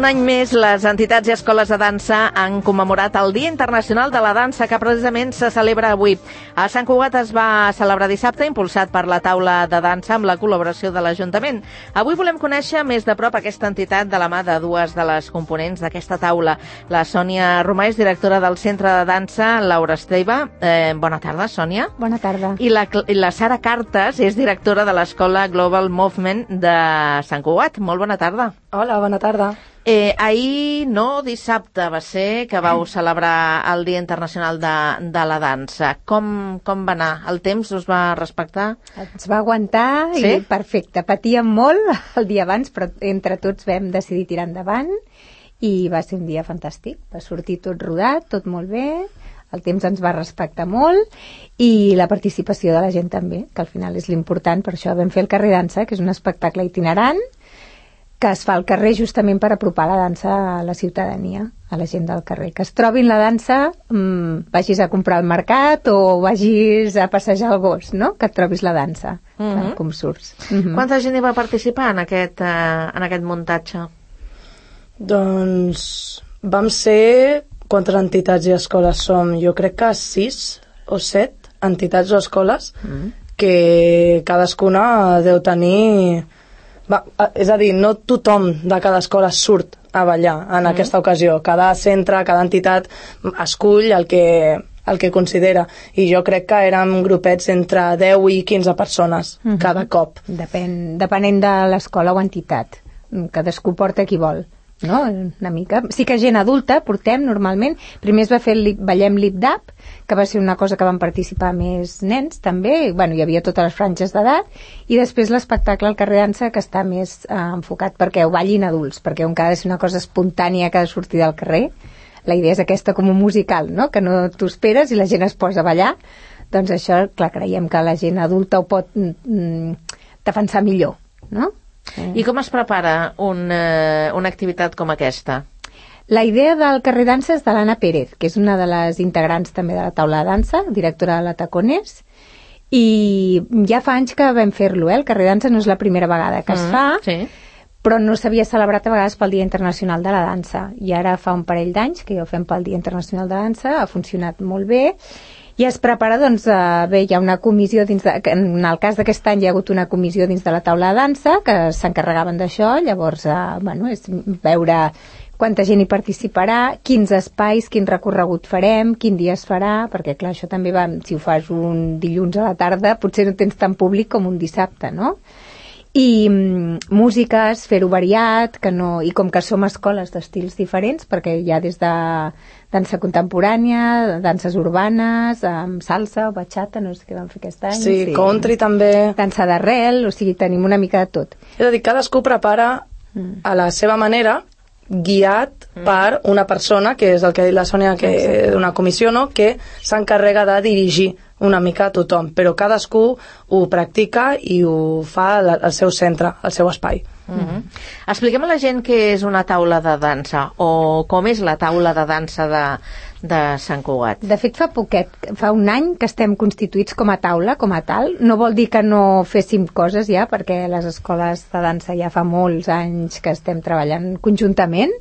Un any més, les entitats i escoles de dansa han commemorat el Dia Internacional de la Dansa, que precisament se celebra avui. A Sant Cugat es va celebrar dissabte, impulsat per la taula de dansa amb la col·laboració de l'Ajuntament. Avui volem conèixer més de prop aquesta entitat de la mà de dues de les components d'aquesta taula. La Sònia Romà és directora del Centre de Dansa Laura Esteve. Bona tarda, Sònia. Bona tarda. I la Sara Cartes és directora de l'Escola Global Movement de Sant Cugat. Molt bona tarda. Hola, bona tarda. Ahir, dissabte, va ser que vau celebrar el Dia Internacional de la Dansa. Com va anar? El temps us va respectar? Ens va aguantar i perfecte. Patíem molt el dia abans, però entre tots vam decidir tirar endavant i va ser un dia fantàstic. Va sortir tot rodat, tot molt bé, el temps ens va respectar molt i la participació de la gent també, que al final és l'important. Per això vam fer el Carrer Dansa, que és un espectacle itinerant que es fa al carrer justament per apropar la dansa a la ciutadania, a la gent del carrer. Que es trobin la dansa, vagis a comprar al mercat o vagis a passejar el gos, no? Que et trobis la dansa, com surts. Quanta gent hi va participar en aquest muntatge? Doncs vam ser... Quantes entitats i escoles som? Jo crec que 6 o 7 entitats o escoles que cadascuna deu tenir... és a dir, no tothom de cada escola surt a ballar en aquesta ocasió. Cada centre, cada entitat escull el que considera. I jo crec que érem grupets entre 10 i 15 persones cada cop. Depenent de l'escola o entitat. Cadascú porta qui vol. No? Una mica. Sí que gent adulta portem normalment. Primer es va fer Ballem Lip-Dap, que va ser una cosa que van participar més nens també, hi havia totes les franges d'edat, i després l'espectacle al carrer Dansa, que està més enfocat perquè ho ballin adults, perquè on ha de ser una cosa espontània que ha de sortir del carrer. La idea és aquesta com un musical, no? Que no t'ho esperes i la gent es posa a ballar. Doncs això, clar, creiem que la gent adulta ho pot defensar millor, no? I com es prepara una activitat com aquesta? La idea del Carrer Dansa és de l'Anna Pérez, que és una de les integrants també de la taula de dansa, directora de la Tacones, i ja fa anys que vam fer-lo, el Carrer Dansa no és la primera vegada que es fa, però no s'havia celebrat a vegades pel Dia Internacional de la Dansa, i ara fa un parell d'anys que ja ho fem pel Dia Internacional de la Dansa, ha funcionat molt bé, i es prepara, bé, hi ha una comissió en el cas d'aquest any hi ha hagut una comissió dins de la taula de dansa que s'encarregaven d'això, llavors, és veure quanta gent hi participarà, quins espais, quin recorregut farem, quin dia es farà, perquè clar, això també va, si ho fas un dilluns a la tarda, potser no tens tant públic com un dissabte, no? I músiques, fer-ho variat, i com que som escoles d'estils diferents, perquè hi ha des de dansa contemporània, danses urbanes, salsa o bachata, no sé què vam fer aquest any. Sí, country també. Dansa d'arrel, o sigui, tenim una mica de tot. És a dir, cadascú prepara a la seva manera, guiat per una persona, que és el que ha dit la Sònia, que és una comissió, no?, que s'encarrega de dirigir una mica a tothom, però cadascú ho practica i ho fa al seu centre, al seu espai. Expliquem a la gent què és una taula de dansa o com és la taula de dansa de Sant Cugat. De fet, fa un any que estem constituïts com a taula, com a tal. No vol dir que no féssim coses ja, perquè les escoles de dansa ja fa molts anys que estem treballant conjuntament,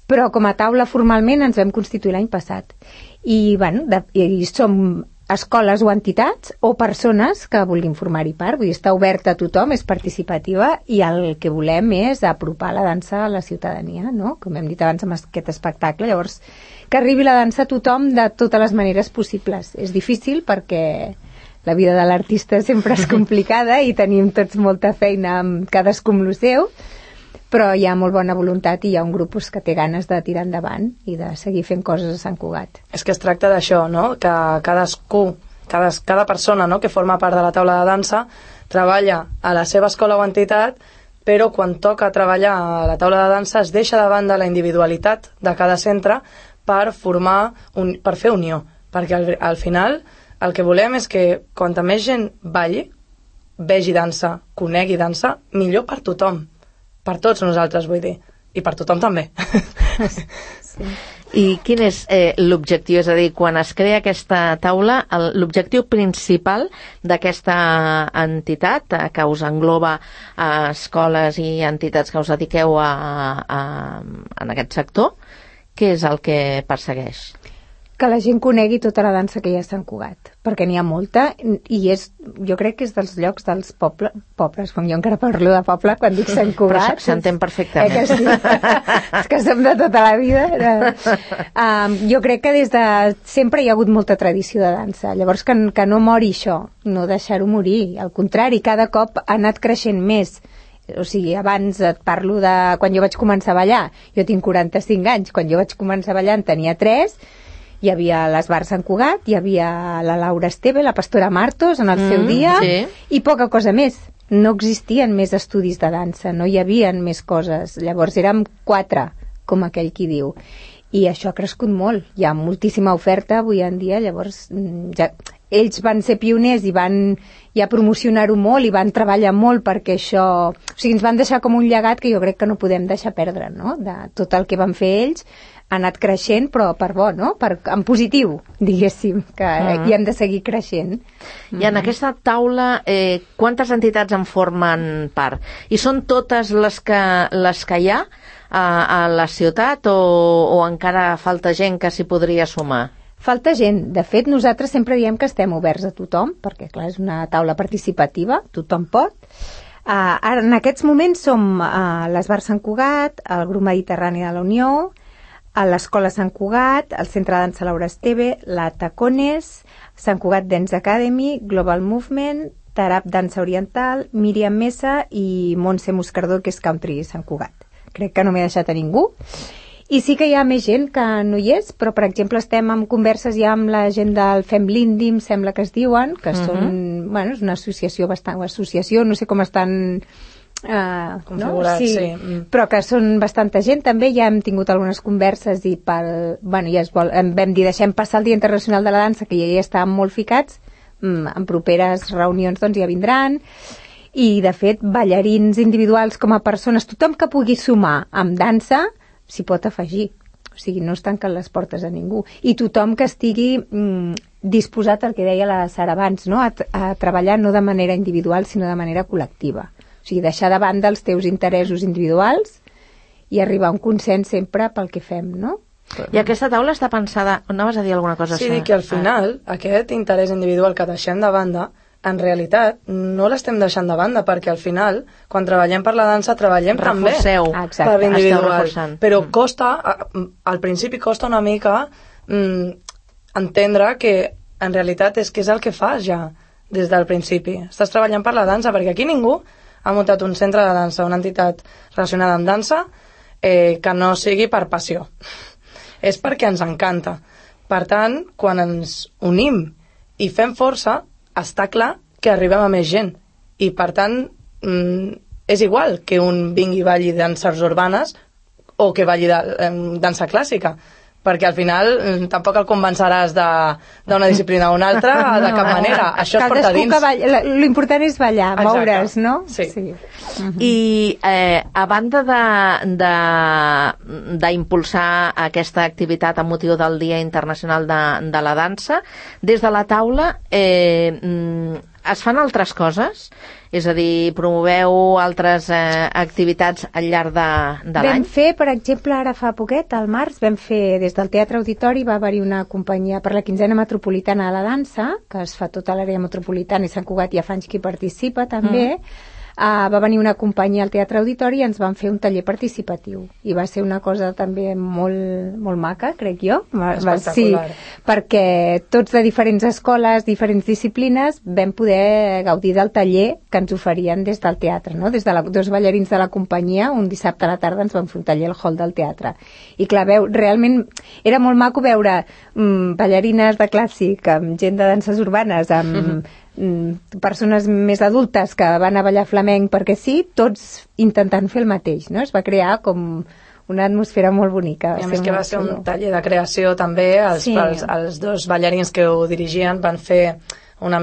però com a taula formalment ens vam constituir l'any passat. I som escoles o entitats o persones que vulguin formar-hi part, vull dir, està oberta a tothom, és participativa i el que volem és apropar la dansa a la ciutadania, no? Com hem dit abans amb aquest espectacle, llavors que arribi la dansa a tothom de totes les maneres possibles. És difícil perquè la vida de l'artista sempre és complicada i tenim tots molta feina amb cadascú amb el seu, però hi ha molt bona voluntat i hi ha un grup que té ganes de tirar endavant i de seguir fent coses a Sant Cugat. És que es tracta d'això, no?, que cadascú, cada persona, no?, que forma part de la taula de dansa treballa a la seva escola o entitat, però quan toca treballar a la taula de dansa es deixa de banda la individualitat de cada centre per per fer unió, perquè al final el que volem és que quanta més gent balli, vegi dansa, conegui dansa, millor per tothom. Per tots nosaltres, vull dir. I per tothom també. Sí. I quin és l'objectiu? És a dir, quan es crea aquesta taula, l'objectiu principal d'aquesta entitat que us engloba escoles i entitats que us dediqueu en aquest sector, què és el que persegueix? Que la gent conegui tota la dansa que hi ha a Sant Cugat, perquè n'hi ha molta i jo crec que és dels llocs dels pobles, com jo encara parlo de poble quan dic Sant Cugat. Però s'entén perfectament. Que sí? És que som de tota la vida. Jo crec que des de sempre hi ha hagut molta tradició de dansa, llavors que no mori això, no deixar-ho morir, al contrari, cada cop ha anat creixent més. O sigui, abans et parlo de quan jo vaig començar a ballar, jo tinc 45 anys, quan jo vaig començar a ballar en tenia 3, hi havia l'Esbar Sant Cugat, hi havia la Laura Esteve, la Pastora Martos en el seu dia, sí. I poca cosa més. No existien més estudis de dansa, no hi havien més coses. Llavors érem 4, com aquell qui diu. I això ha crescut molt. Hi ha moltíssima oferta avui en dia, llavors ells van ser pioners i van ja promocionar-ho molt i van treballar molt perquè això... O sigui, ens van deixar com un llegat que jo crec que no podem deixar perdre, no? De tot el que van fer ells ha anat creixent, però per bo, no? En positiu, diguéssim, que hi hem de seguir creixent. I en aquesta taula, quantes entitats en formen part? I són totes les que hi ha a la ciutat o encara falta gent que s'hi podria sumar? Falta gent. De fet, nosaltres sempre diem que estem oberts a tothom, perquè, clar, és una taula participativa, tothom pot. Ara, en aquests moments som a l'Esbar Sant Cugat, el Grup Mediterrani de la Unió, a l'Escola Sant Cugat, el Centre de Dansa Laura Esteve, la Tacones, Sant Cugat Dance Academy, Global Movement, Tarab Dansa Oriental, Míriam Mesa i Montse Moscardó, que és Country Sant Cugat. Crec que no m'he deixat a ningú. I sí que hi ha més gent que no hi és, però, per exemple, estem en converses ja amb la gent del Fem l'Índim, sembla que es diuen, que són, bueno, és una associació no sé com estan... configurats, no? Sí. Però que són bastanta gent també, ja hem tingut algunes converses i vam dir deixem passar el Dia Internacional de la Dansa, que ja hi estàvem molt ficats, en properes reunions doncs ja vindran, i de fet ballarins individuals com a persones, tothom que pugui sumar amb dansa s'hi pot afegir, o sigui, no es tanquen les portes a ningú, i tothom que estigui disposat al que deia la Sara abans, no? a treballar no de manera individual sinó de manera col·lectiva. O sigui, deixar de banda els teus interessos individuals i arribar a un consens sempre pel que fem, no? I aquesta taula està pensada... Anaves a dir alguna cosa? Sí, dic que al final aquest interès individual que deixem de banda, en realitat no l'estem deixant de banda, perquè al final, quan treballem per la dansa, treballem també per l'individual. Però costa, al principi costa una mica entendre que en realitat és que és el que fas ja des del principi. Estàs treballant per la dansa, perquè aquí ningú ha muntat un centre de dansa, una entitat relacionada amb dansa, que no sigui per passió. És perquè ens encanta. Per tant, quan ens unim i fem força, està clar que arribem a més gent. I, per tant, és igual que un vingui i balli danses urbanes o que balli dansa clàssica, perquè al final tampoc el convenceràs d'una disciplina o una altra de cap manera. Això es porta dins. L'important és ballar, moure's, no? Sí. I a banda d'impulsar aquesta activitat amb motiu del Dia Internacional de la Dansa, des de la taula es fan altres coses? És a dir, promoveu altres activitats al llarg de l'any? Vam fer, per exemple, ara fa poquet, al març, vam fer des del Teatre Auditori, va haver-hi una companyia per la 15a Metropolitana de la Dansa, que es fa tota l'àrea metropolitana i Sant Cugat ja fa anys que hi participa també. Va venir una companyia al Teatre Auditori i ens van fer un taller participatiu. I va ser una cosa també molt, molt maca, crec jo. Espectacular. Sí, perquè tots de diferents escoles, diferents disciplines, vam poder gaudir del taller que ens oferien des del teatre, no? Des de dos ballarins de la companyia, un dissabte a la tarda ens van fer un taller al hall del teatre. I clar, realment era molt maco veure ballarines de clàssic, amb gent de danses urbanes, amb persones més adultes que van a ballar flamenc perquè sí, tots intentant fer el mateix, no? Es va crear com una atmosfera molt bonica. I a més que va ser un taller de creació també, els dos ballarins que ho dirigien van donar una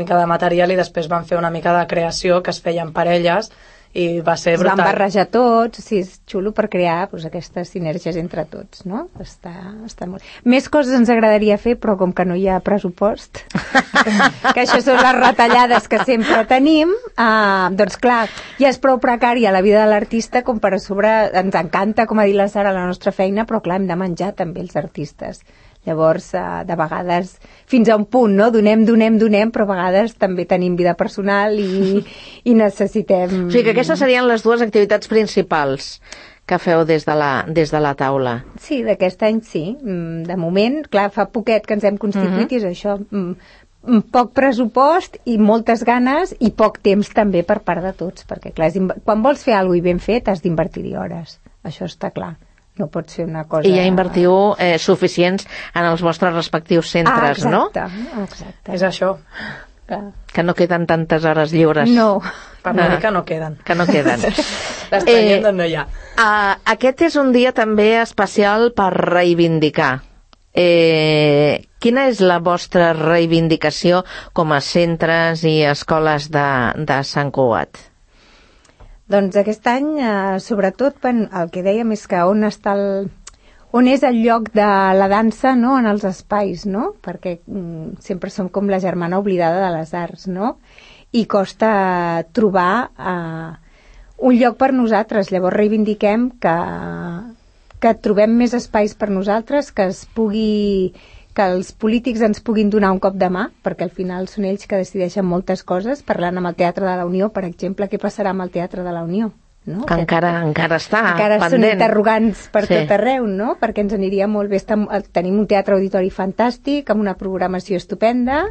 mica de material i després van fer una mica de creació que es feia en parelles i va ser Es van brutal. barrejar tots, sí, és xulo per crear aquestes sinergies entre tots, no? Està molt... Més coses ens agradaria fer, però com que no hi ha pressupost, que això són les retallades que sempre tenim, doncs clar, ja és prou precària la vida de l'artista com per a sobre, ens encanta, com ha dit la Sara, la nostra feina, però clar, hem de menjar també els artistes. Llavors, de vegades, fins a un punt, no? Donem, però a vegades també tenim vida personal i necessitem... O sigui que aquestes serien les dues activitats principals que feu des de la taula. Sí, d'aquest any sí. De moment, clar, fa poquet que ens hem constituït i és això, poc pressupost i moltes ganes i poc temps també per part de tots, perquè clar, quan vols fer alguna cosa i ben fet has d'invertir-hi hores, això està clar. No pot ser una cosa... I ja invertiu suficients en els vostres respectius centres, exacte, no? Exacte. És això. Que no queden tantes hores lliures. No. Per no dir que no queden. Que no queden. Les tenim d'on no hi ha. Aquest és un dia també especial per reivindicar. Quina és la vostra reivindicació com a centres i escoles de Sant Cugat? Doncs aquest any, sobretot, el que dèiem és que on és el lloc de la dansa, no?, en els espais, no? Perquè sempre som com la germana oblidada de les arts, no? I costa trobar un lloc per nosaltres. Llavors reivindiquem que trobem més espais per nosaltres, que els polítics ens puguin donar un cop de mà, perquè al final són ells que decideixen moltes coses, parlant amb el Teatre de la Unió, per exemple, què passarà amb el Teatre de la Unió? No? Que encara està encara pendent. Són interrogants per tot arreu, no? Perquè ens aniria molt bé. Tenim un teatre auditori fantàstic, amb una programació estupenda,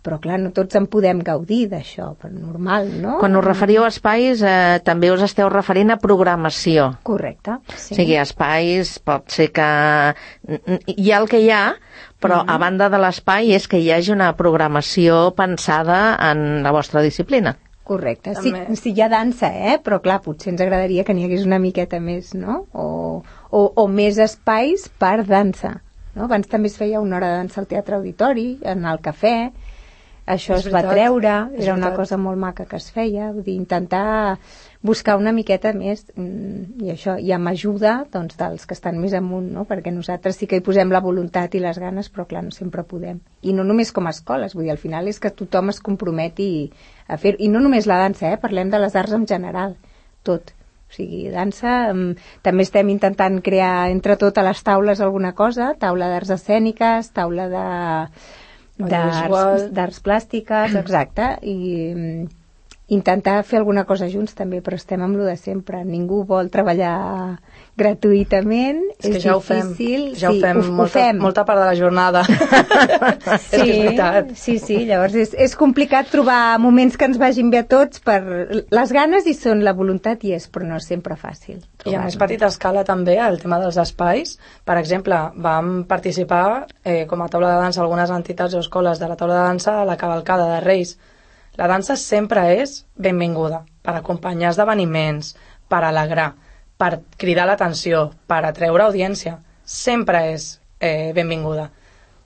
però clar, no tots en podem gaudir d'això, però normal, no? Quan us referiu a espais, també us esteu referint a programació. Correcte, sí. O sigui, espais, pot ser que hi ha el que hi ha, però a banda de l'espai és que hi hagi una programació pensada en la vostra disciplina. Correcte, sí, hi ha dansa, però clar, potser ens agradaria que n'hi hagués una miqueta més, no? O més espais per dansa, no? Abans també es feia una hora de dansa al Teatre Auditori, en el cafè, això es va treure, era una cosa molt maca que es feia, vull dir, intentar buscar una miqueta més, i això, i amb ajuda doncs, dels que estan més amunt, no? Perquè nosaltres sí que hi posem la voluntat i les ganes, però clar, no sempre podem. I no només com a escoles, vull dir, al final és que tothom es comprometi a fer, i no només la dansa, parlem de les arts en general, tot. O sigui, dansa, també estem intentant crear entre tot a les taules alguna cosa, taula d'arts escèniques, taula d'arts plàstiques, exacte, i intentar fer alguna cosa junts també, però estem amb lo de sempre. Ningú vol treballar gratuïtament, és ja difícil. Ja ho fem, molta part de la jornada. És que és veritat. Sí, llavors és complicat trobar moments que ens vagin bé a tots per les ganes i són la voluntat i és, però no és sempre fàcil. I a més petita escala també, el tema dels espais. Per exemple, vam participar com a taula de dansa algunes entitats o escoles de la taula de dansa a la cavalcada de Reis. La dansa sempre és benvinguda per acompanyar esdeveniments, per alegrar, per cridar l'atenció, per atreure audiència. Sempre és benvinguda.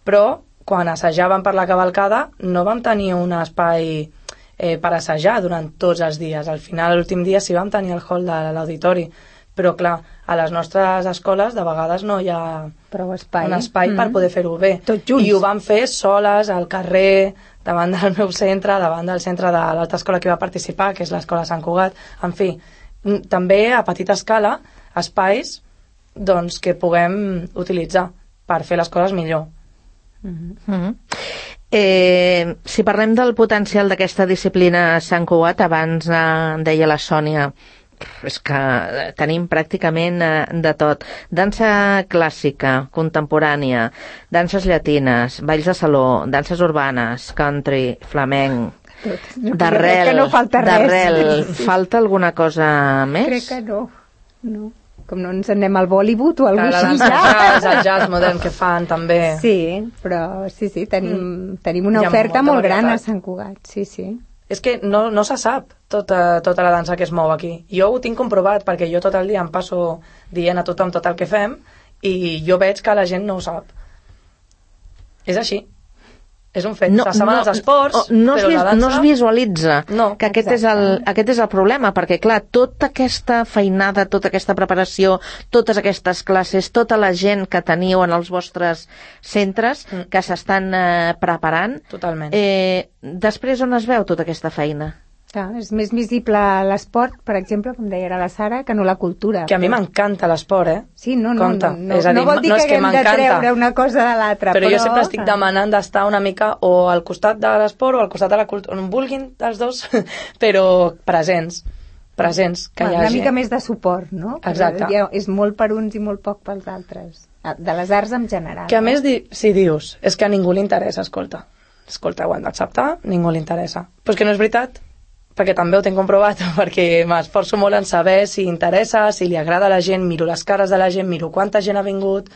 Però, quan assajàvem per la cavalcada, no vam tenir un espai per assajar durant tots els dies. Al final, l'últim dia sí vam tenir el hall de l'auditori. Però, clar, a les nostres escoles de vegades no hi ha un espai per poder fer-ho bé. Tots junts. I ho vam fer soles, al carrer, davant del meu centre, davant del centre de l'altra escola que va participar, que és l'escola Sant Cugat. En fi, també a petita escala, espais doncs, que puguem utilitzar per fer les coses millor. Si parlem del potencial d'aquesta disciplina Sant Cugat, abans deia la Sònia, és que tenim pràcticament de tot. Dansa clàssica, contemporània, danses llatines, balls de saló, danses urbanes, country, flamenc, d'arrel. No falta res. Falta alguna cosa més? Crec que no. Com no ens anem al Bollywood o alguna cosa així. El jazz modern que fan també. Sí, però sí, tenim una oferta molt gran a Sant Cugat, sí. És que no se sap tota la dansa que es mou aquí. Jo ho tinc comprovat perquè jo tot el dia em passo dient a tothom tot el que fem i jo veig que la gent no ho sap. És així. És un fet. S'assaven els esports, no però la dansa... no es visualitza que aquest és el problema, perquè, clar, tota aquesta feinada, tota aquesta preparació, totes aquestes classes, tota la gent que teniu en els vostres centres, que s'estan preparant... Totalment. Després on es veu tota aquesta feina? Clar, és més visible l'esport, per exemple, com deia ara la Sara, que no la cultura. Que a mi m'encanta l'esport, Sí, no és a dir, no vol dir que haguem de treure una cosa de l'altra. Però jo sempre estic demanant d'estar una mica o al costat de l'esport o al costat de la cultura, on vulguin els dos, però presents, que hi hagi. Una mica més de suport, no? Exacte. És molt per uns i molt poc pels altres. De les arts en general. Que a més, si dius, és que a ningú li interessa, escolta, ho hem d'acceptar, ningú li interessa. Però és que no és veritat, perquè també ho tinc comprovat, perquè m'esforço molt en saber si interessa, si li agrada a la gent, miro les cares de la gent, miro quanta gent ha vingut,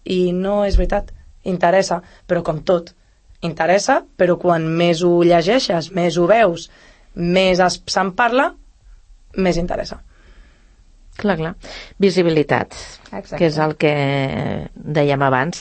i no és veritat, interessa, però com tot, interessa, però quan més ho llegeixes, més ho veus, més se'n parla, més interessa. Clar. Visibilitat, Exacte. que és el que dèiem abans.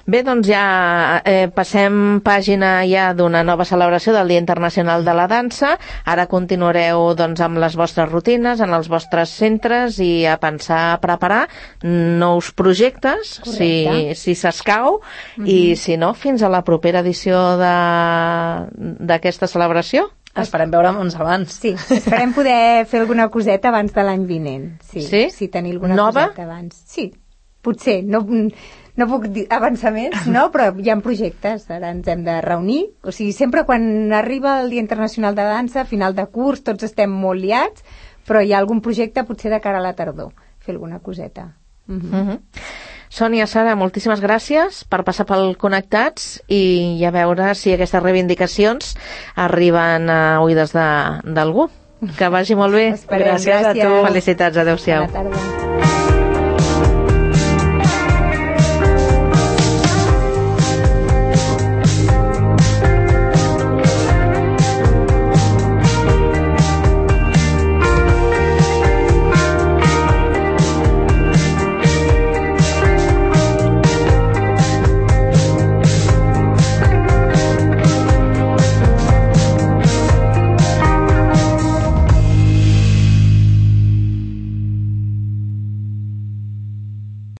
Bé, doncs ja passem pàgina ja d'una nova celebració del Dia Internacional de la Dansa. Ara continuareu doncs, amb les vostres rutines, en els vostres centres i a pensar, a preparar nous projectes, si s'escau, i si no, fins a la propera edició d'aquesta celebració. Esperem veure'ns abans. Sí, esperem poder fer alguna coseta abans de l'any vinent. Sí? Tenir alguna nova? coseta abans. Sí, potser. No puc dir avançaments, però hi ha projectes. Ara ens hem de reunir. O sigui, sempre quan arriba el Dia Internacional de Dansa, final de curs, tots estem molt liats, però hi ha algun projecte potser de cara a la tardor. Fer alguna coseta. Sònia, Sara, moltíssimes gràcies per passar pel Connectats i a veure si aquestes reivindicacions arriben a oïdes d'algú. Que vagi molt bé. Esperem, gràcies a tu. Felicitats, adeu-siau. Bona tarda.